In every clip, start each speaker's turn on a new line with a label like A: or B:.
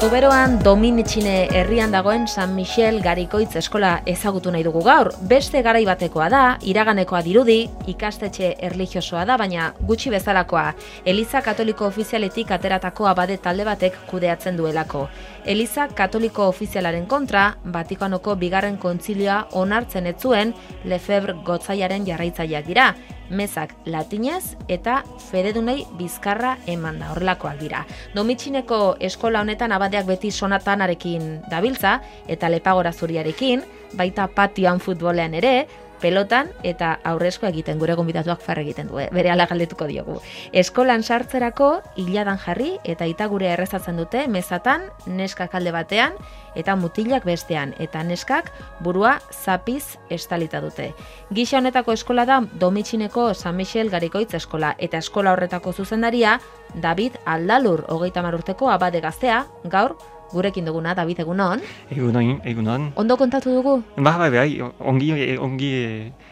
A: Zuberoan Dominitxine herrian dagoen San Michel Garikoitz eskola ezagutu nahi dugu gaur. Beste garai batekoa da, iraganekoa dirudi, ikastetxe erlijiosoa da, baina gutxi bezalakoa. Eliza Katoliko Ofizialetik ateratako abade talde batek kudeatzen duelako. Eliza Katoliko Ofizialaren kontra, Vatikanoko bigarren kontzilioa onartzen ez zuen Lefebvre gotzaiaren jarraitzaileak dira. Mezak latinez eta fededunei bizkarra emanda, horrelakoak dira. Domitxineko eskola honetan abadeak beti sonatanarekin dabiltza eta lepagora zuriarekin, baita patioan futbolean ere, pelotan eta aurrezko egiten, gure gonbidatuak farre egiten du, berehala galdetuko diogu. Eskolan sartzerako iladan jarri eta itagurea errezatzen dute mezatan, neskak alde batean eta mutilak bestean, eta neskak burua zapiz estalita dute. Gisa honetako eskola da Domitxineko San Michel Garikoitz eskola, eta eskola horretako zuzendaria David Aldalur, 30 urteko abade gaztea, gaur gurekin duguna. David, egunon?
B: Egunon.
A: Ondo kontatu dugu?
B: Bai, ongi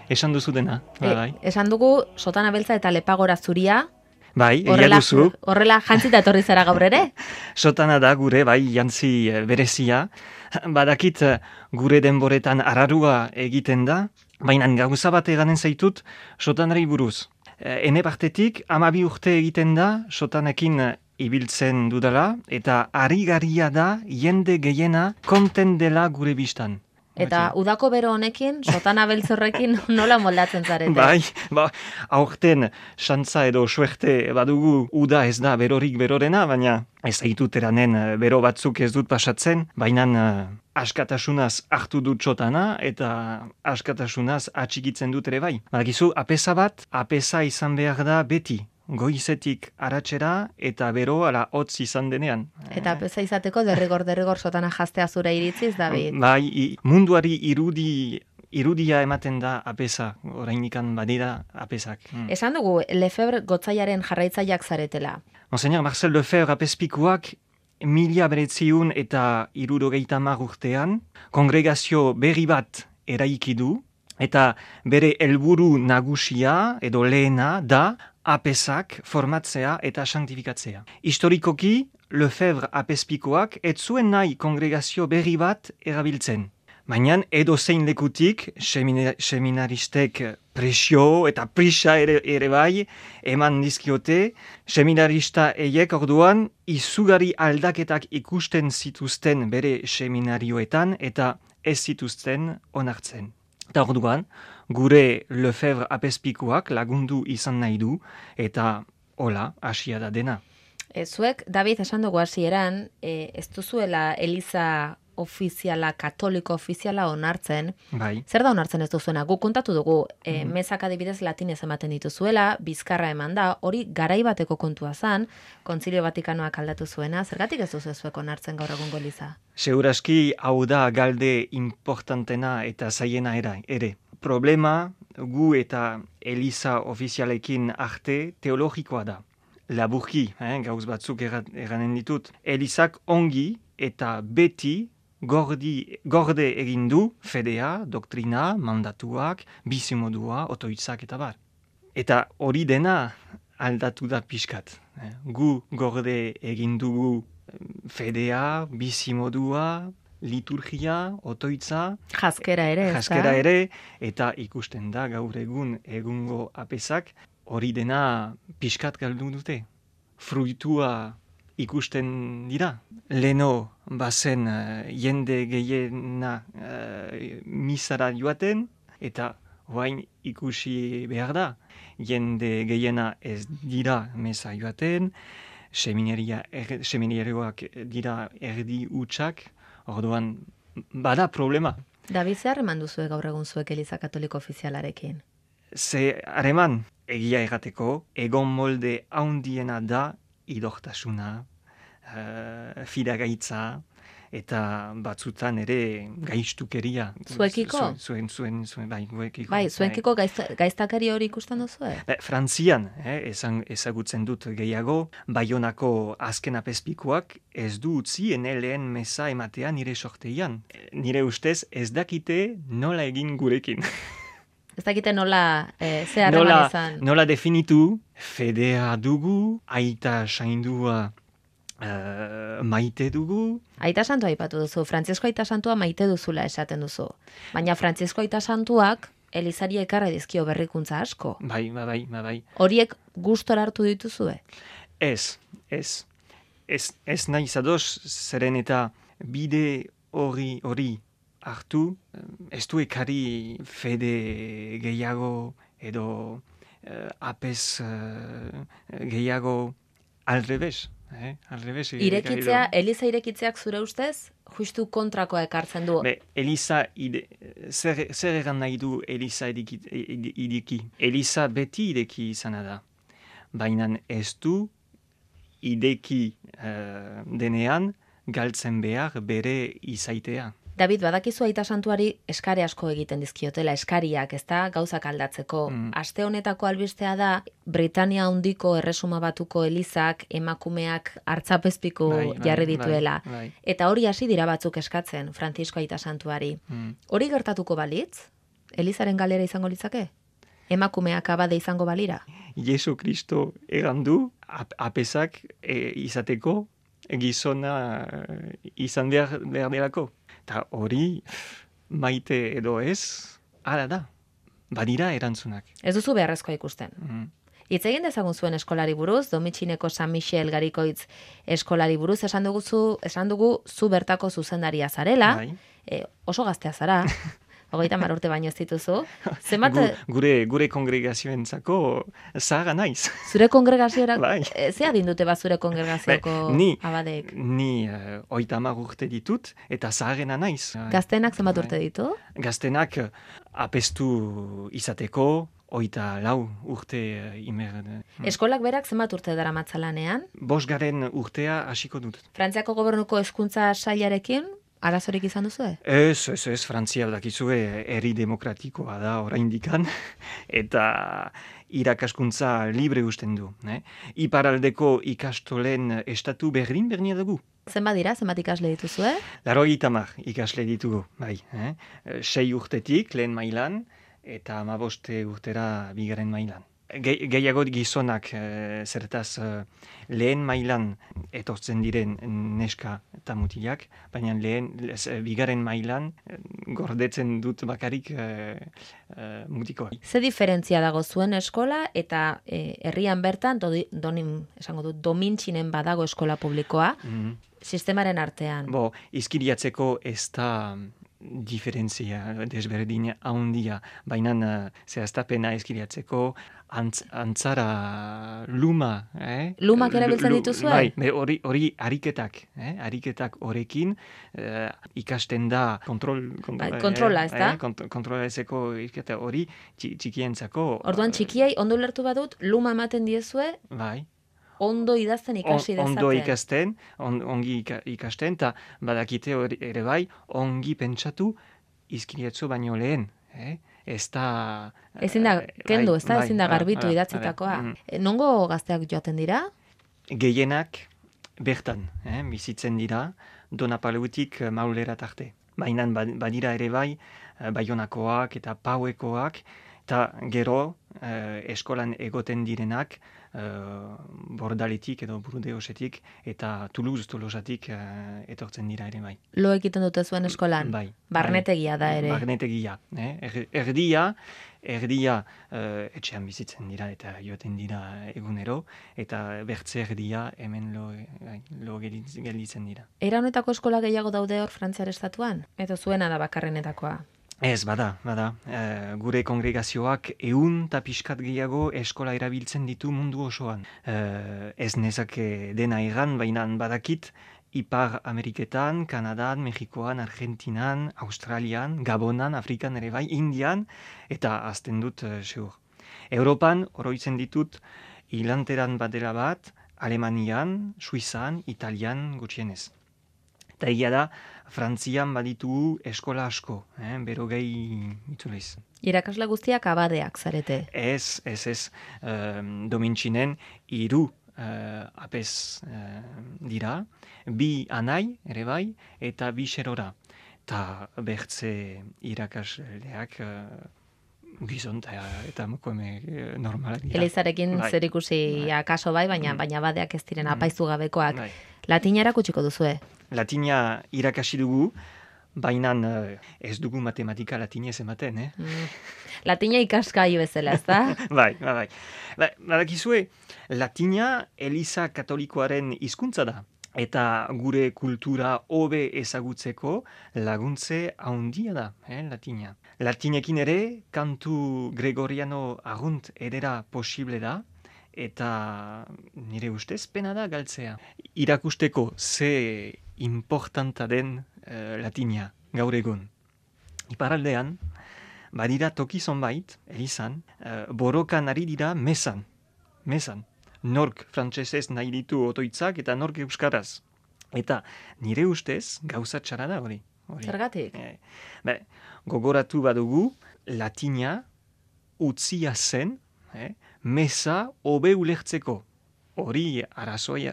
B: esan duzu dena. Bai.
A: Esan dugu sotana beltza eta lepagora zuria.
B: Bai, egia duzu.
A: Horrela jantzita etorri zara gaur ere?
B: Sotana da gure, bai, jantzi berezia. Badakit gure denboretan ararua egiten da, baina gauza bat eganen zaitut sotanari buruz. Ene partetik, 12 urte egiten da sotanekin ibiltzen dudala, eta arigaria da jende gehiena konten dela gure bistan.
A: Eta udako bero honekin, sotana beltzorrekin nola moldatzen zarete?
B: Bai, aurten xantza edo suerte badugu uda ez da berorik berorena, baina ez zaitut eranen bero batzuk ez dut pasatzen, baina askatasunaz hartu dut sotana eta askatasunaz atxikitzen dut ere bai. Badakizu, apesa izan behar da beti. Goizetik aratzera eta bero ala hotz izan denean.
A: Eta apesa izateko derrigor sotana jaztea zure iritziz, David?
B: Bai, munduari irudia ematen da apesa, orainikan badira apesak.
A: Esan dugu, Lefebvre gotzaiaren jarraitzaileak zaretela.
B: Monseñor Marcel Lefebvre apezpikuak 1970 urtean kongregazio berri bat eraiki du, eta bere helburu nagusia edo lehena da apesak formatzea eta sanktifikatzea. Historikoki, Lefebvre apezpikoak ez zuen nahi kongregazio berri bat erabiltzen. Baina edo zein lekutik, seminaristek presio eta prisa ere bai eman dizkiote, seminarista eiek orduan izugarri aldaketak ikusten zituzten bere seminarioetan eta ez zituzten onartzen. Eta orduan, gure Lefebvre apezpikoak lagundu izan nahi du, eta hola, hasia da dena.
A: Zuek, David, esan dugu hasieran, ez duzuela Eliza ofiziala, katoliko ofiziala onartzen.
B: Bai.
A: Zer da onartzen ez duzuena? Guk kontatu dugu, mezak adibidez latinez ematen dituzuela, bizkarra eman da, hori garai bateko kontua zan, Kontzilio Vatikanoak aldatu zuena, zergatik ez duzu zuek onartzen gaur egungo Eliza?
B: Seguraski hau da galde importantena eta zaiena ere. Problema gu eta Eliza ofizialekin arte teologikoa da. Laburki, gauz batzuk eranen ditut. Elizak ongi eta beti gorde egin du fedea, doktrina, mandatuak, bizimodua, otoitzak eta bar. Eta hori dena aldatu da pixkat. Gu gorde egin dugu fedea, bizimodua, liturgia, otoitza,
A: Jaskera ere,
B: eta ikusten da gaur egungo apesak, hori dena pixkat galdu dute. Fruitua ikusten dira. Leno bazen jende gehiena misara joaten, eta orain ikusi behar da. Jende gehiena ez dira mesa joaten, seminarioak dira erdi hutsak, orduan bada problema.
A: David, zer eman duzue gaur egun zuek Eliza Katoliko ofizialarekin?
B: Ze hareman, egia errateko, egon molde haundiena da idortasuna, fidagaitza, eta batzutan ere gaiztukeria.
A: Zuekiko?
B: Zuen, bai, guekiko.
A: Bai, zuekiko gaiztakari hori ikusten duzu?
B: Frantzian, ezagutzen dut gehiago, Baionako azken apezpikuak ez du utzi lehen meza ematean nire sorteian. Nire ustez ez dakite nola egin gurekin.
A: Ez dakite nola ze harreman izan?
B: Nola definitu, fedea dugu, aita saindua maite dugu.
A: Aita santua aipatu duzu, Frantzisko aita santua maite duzula esaten duzu. Baina Frantzisko aita santuak Elizari ekarri dizkio berrikuntza asko.
B: Bai.
A: Horiek gustora hartu dituzue?
B: Ez nahi zadoz, zeren eta bide hori hartu, ez du ekari fede gehiago edo apez gehiago aldrebez.
A: Irekitzea, Eliza irekitzeak zure ustez, justu kontrakoa ekartzen du.
B: Eliza, zer egan nahi du Eliza ideki? Eliza beti ideki izana da. Baina ez du ideki denean galtzen behar bere izaitea.
A: David, badakizu aita santuari eskari asko egiten dizkiotela, eskariak, ezta, gauzak aldatzeko. Aste honetako albistea da, Britania handiko erresuma batuko Elizak emakumeak hartzapezpiku jarri dituela.
B: Bai.
A: Eta hori hasi dira batzuk eskatzen, Frantzisko aita santuari. Hori gertatuko balitz? Elizaren galera izango litzake? Emakumeak abade izango balira?
B: Jesu Kristo egandu, apezak izateko gizona izan behar delako. Eta hori maite edo ez, hala da. Badira erantzunak.
A: Ez duzu beharrezkoa ikusten. Hitz egin dezagun zuen eskolari buruz, Domitxineko San Michel Garikoitz eskolari buruz, esan dugu zu bertako zuzendaria zarela, oso gaztea zara, 30 urte baino ez dituzu.
B: Gure kongregazioentzako zaharra naiz.
A: Zure kongregazioak,
B: bai.
A: Ze adin dute zure kongregazioko abadeek?
B: Ni 30 urte ditut eta zaharrena naiz.
A: Gaztenak zenbat urte ditu?
B: Gaztenak apestu izateko, 34 urte imer.
A: Eskolak berak zenbat urte dara matzalanean?
B: 5. urtea hasiko dut.
A: Frantziako gobernuko hezkuntza sailarekin arazorik izan duzue?
B: Ez, Frantzia dakizue herri demokratikoa da oraindikan eta irakaskuntza libre usten du. Iparaldeko ikastolen estatu bernia dugu.
A: Zenbat dira, zenbat ikasle dituzue?
B: 80 ikasle ditugu, bai. 6 urtetik lehen mailan eta 15 urtera bigarren mailan. Gehiago gizonak zertaz lehen mailan etortzen diren neska eta mutilak, baina bigarren mailan gordetzen dut bakarik mutikoa.
A: Ze diferentzia dago zuen eskola eta herrian bertan, Domintxinen badago eskola publikoa, sistemaren artean?
B: Izkiriatzeko ez da diferentzia desberdin handia, baina zehaztapena izkiriatzeko antzara luma.
A: Lumak erabiltzen dituzue?
B: Bai, hori ariketak horrekin ikasten da
A: kontrola, ez da?
B: Kontrola ezeko hori txikientzako.
A: Orduan txikiei ondo lertu badut, luma ematen diezue?
B: Bai.
A: Ondo idazten ikasi dezaten.
B: Ondo ikasten, ongi ikasten, eta badakite ere bai, ongi pentsatu izkiriatzu baino lehen. Ez da...
A: Ezin da, kendu, ez da, ezin da garbitu idatzitakoa. Nongo gazteak joaten dira?
B: Gehienak bertan, bizitzen dira, Donapaleutik Maulera tarte. Baina badira ere bai, Baionakoak eta Pauekoak, eta gero eskolan egoten direnak, Bordaletik edo Burdeosetik eta Tolosatik etortzen dira ere bai.
A: Lo egiten dute zuen eskolan?
B: Bai.
A: Barnetegia da ere?
B: Barnetegia. Erdia etxean bizitzen dira eta joaten dira egunero, eta bertze erdia hemen lo gelditzen dira.
A: Era honetako eskola gehiago daude hor Frantziar estatuan? Edo zuena da bakarrenetakoa?
B: Ez, bada. Gure kongregazioak 100 eta pixkat gehiago eskola erabiltzen ditu mundu osoan. Ez nezake dena egan, baina badakit Ipar Ameriketan, Kanadan, Mexikoan, Argentinan, Australian, Gabonan, Afrikan ere bai, Indian, eta azten dut seur. Europan, oroitzen ditut, hilanteran badela bat, Alemanian, Suizan, Italian gutxienez. Eta egia da, Frantzian baditugu eskola asko, berogei itzuliz.
A: Irakasle guztiak abadeak zarete.
B: Ez, Domintxinen 3 apez dira, 2 anai ere bai, eta 2 xerora. Eta bertze irakasleak gizon eta mokoeme normalak dira.
A: Elizarekin
B: Bai.
A: zerikusia kaso bai, baina badeak ez diren apaizu gabekoak.
B: Bai.
A: Latina erakutsiko duzue.
B: Latina irakasi dugu, baina ez dugu matematika latinez ematen,
A: Latina ikaskai bezala, ez da?
B: Bai. Badakizue, latina Eliza Katolikoaren hizkuntza da. Eta gure kultura hobe ezagutzeko laguntze handia da, latina. Latinekin ere, kantu Gregoriano arrunt edera posible da, eta nire ustez pena da galtzea. Irakusteko ze importanta den latina gaur egun. Iparaldean, badira toki zonbait, Elizan, borrokan ari dira mesan. Nork frantsesez nahi ditu otoitzak eta nork euskaraz. Eta nire ustez gauza txara da hori.
A: Zergatik?
B: Gogoratu badugu latina utzia zen mesa hobe ulertzeko. Hori arrazoi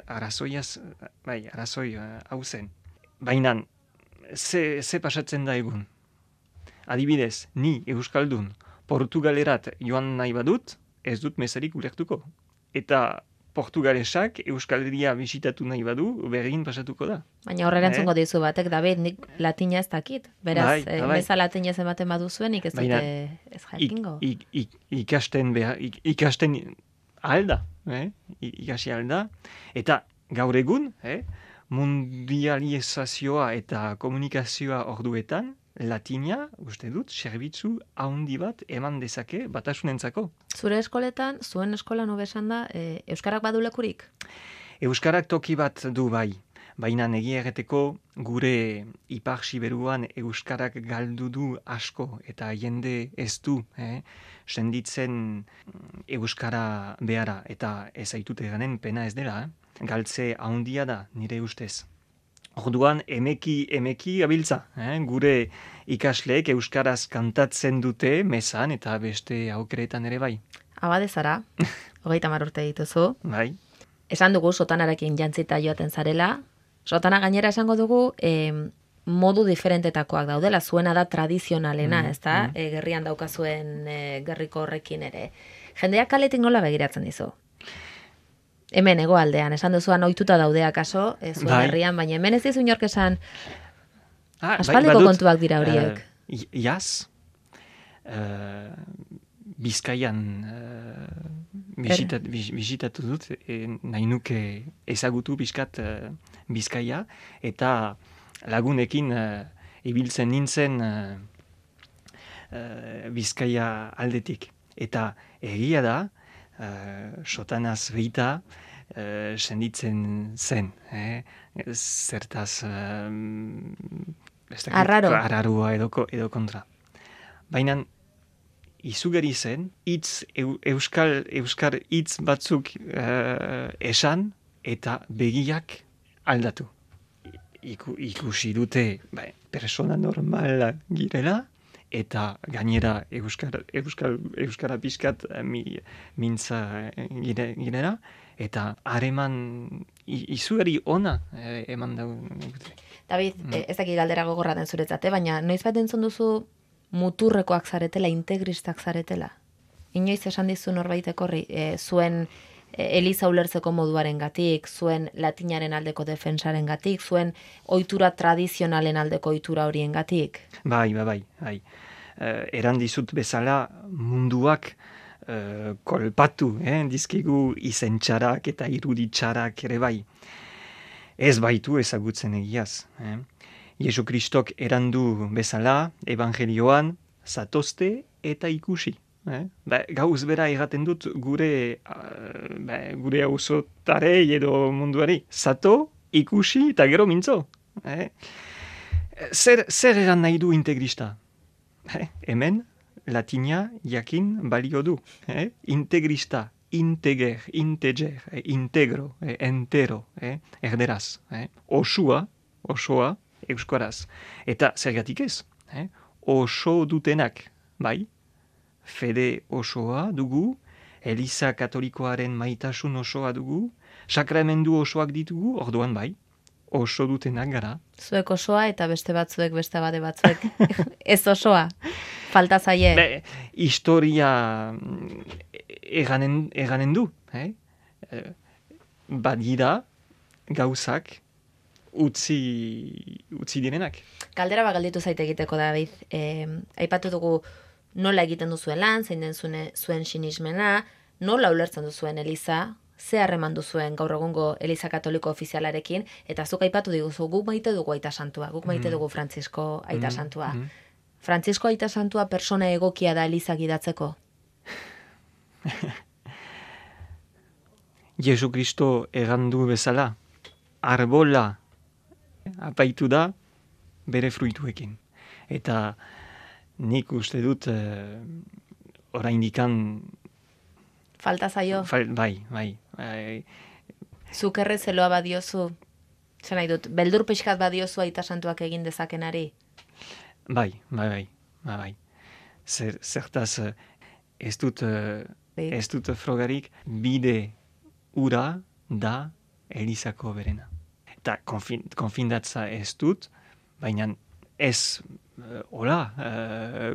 B: hau zen. Baina ze pasatzen da egun? Adibidez, ni euskaldun Portugalerat joan nahi badut, ez dut mesarik ulertuko. Eta portugalesak Euskaldia bisitatu nahi badu, bergin pasatuko da.
A: Baina horre erantzungo dizu batek, David, nik latina ez dakit. Beraz, meza latinez ematen baduzuen, nik ez dute ez jakingo.
B: Ikasten alda, ikasi alda. Eta gaur egun, mundializazioa eta komunikazioa orduetan, latina, uste dut, zerbitzu handi bat eman dezake batasunentzako.
A: Zure eskoletan, zuen eskolan hobesan da, euskarak badu lekurik?
B: Euskarak toki bat du bai, baina egia erreteko gure Ipar Siberuan euskarak galdu du asko eta jende ez du, senditzen euskara behara eta ez aitute ganen pena ez dela, galtze handia da nire ustez. Orduan, emeki abiltza, gure ikasleek euskaraz kantatzen dute mesan eta beste aukeretan ere bai.
A: Abade zara, 30 urte dituzu.
B: Bai.
A: Esan dugu sotanarekin jantzita joaten zarela. Sotana gainera esango dugu modu diferentetakoak daudela, zuena da tradizionalena, ez da? Gerrian daukazuen gerriko horrekin ere. Jendeak kaletik nola begiratzen dizu? Hemen hegoaldean, esan duzuan ohituta daudea kaso, zuen herrian, baina hemen ez dizu inork esan aspaldiko kontuak dira horiek.
B: Iaz, Bizkaian bisitatu dut, nahi nuke ezagutu Bizkaia, eta lagunekin ibiltzen nintzen Bizkaia aldetik. Eta egia da, sotanaz behita, senditzen zen, zertaz arrarua edo kontra. Baina izugarri zen, euskar hitz batzuk esan eta begiak aldatu. Ikusi dute persona normala girela, eta gainera euskara pixkat mintza girela, eta hareman izugarri ona eman dugu.
A: David, ez dakit galdera gogorra den zuretzate, baina noiz bat entzun duzu muturrekoak zaretela, integristak zaretela? Inoiz esan dizu norbaitek horri, zuen Eliza ulertzeko moduaren gatik, zuen latinaren aldeko defensaren gatik, zuen ohitura tradizionalen aldeko ohitura horien gatik? Bai.
B: Eran dizut bezala munduak kolpatu, dizkigu izentxarak eta iruditxarak ere bai. Ez baitu ezagutzen egiaz. Jesu Kristok erandu bezala, evangelioan, zatozte eta ikusi. Gauz bera erraten dut gure auzotarei edo munduari. Zato, ikusi eta gero mintzo. Zer eran nahi du integrista? Hemen, latina jakin balio du. Integrista, integer, integro, entero, erderaz. Osua, osoa euskaraz. Eta zergatik ez, oso dutenak, bai, fede osoa dugu, Eliza Katolikoaren maitasun osoa dugu, sakramendu osoak ditugu, orduan bai, oso dutenak gara.
A: Zuek osoa eta beste batzuek, beste abade batzuek. Ez osoa, falta zaie.
B: Historia eganen du. Badira gauzak utzi direnak.
A: Galdera bat galditu zaite egiteko, David. Aipatu dugu nola egiten duzuen lan, zein den zuen sinismena, nola ulertzen duzuen Eliza, ze harreman duzuen gaur egungo Eliza Katoliko ofizialarekin, eta zuk aipatu diguzu, guk maite dugu Aita Santua, guk maite dugu Frantzisko Aita Santua. Frantzisko Aita Santua persona egokia da Eliza gidatzeko?
B: Jesu Kristo egandu bezala, arbola apaitu da bere fruituekin. Eta nik uste dut oraindikan
A: falta zaio?
B: Bai.
A: Zuk errezeloa badiozu, zen nahi dut, beldur pixkat badiozu Aita Santuak egin dezakenari?
B: Bai. Zertaz ez dut frogarik, bide ura da Elizako berena. Eta konfindatza ez dut, baina ez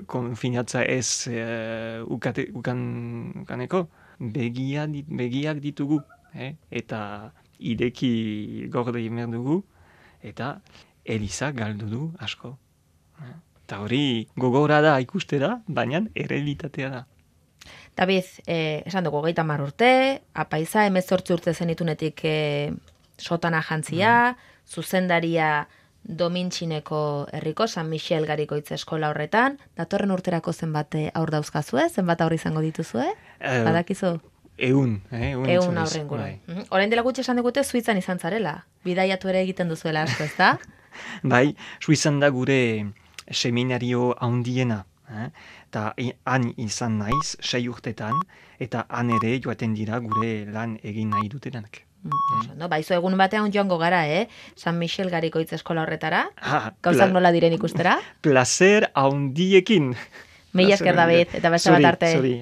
B: konfinatza ez ukaneko, begiak ditugu, eta ideki gorde imer dugu, eta Eliza galdu du asko. Eta hori gogora da ikustera, baina errealitatea da.
A: David, esan dugu 30 urte, apaiza 18 urte zenitunetik sotana jantzia, zuzendaria Domintxineko herriko San Michel Garikoitz eskola horretan, datorren urterako zenbat aur dauzkazue, zenbat aur izango dituzue? Badakizu?
B: Ehun
A: aurren gure. Orain dela gutxi esan digute Suitzan izan zarela. Bidaiatu ere egiten duzuela asko, ezta?
B: Bai, Suitzan da gure seminario handiena. Eta han izan naiz 6 urtetan, eta han ere joaten dira gure lan egin nahi dutenak.
A: Baizu egun batean joango gara, San Michel Garikoitz eskola horretara? Gauzak nola diren ikustera?
B: Placer handiekin.
A: Mila esker, David, eta beste bat arte.
B: Zuri,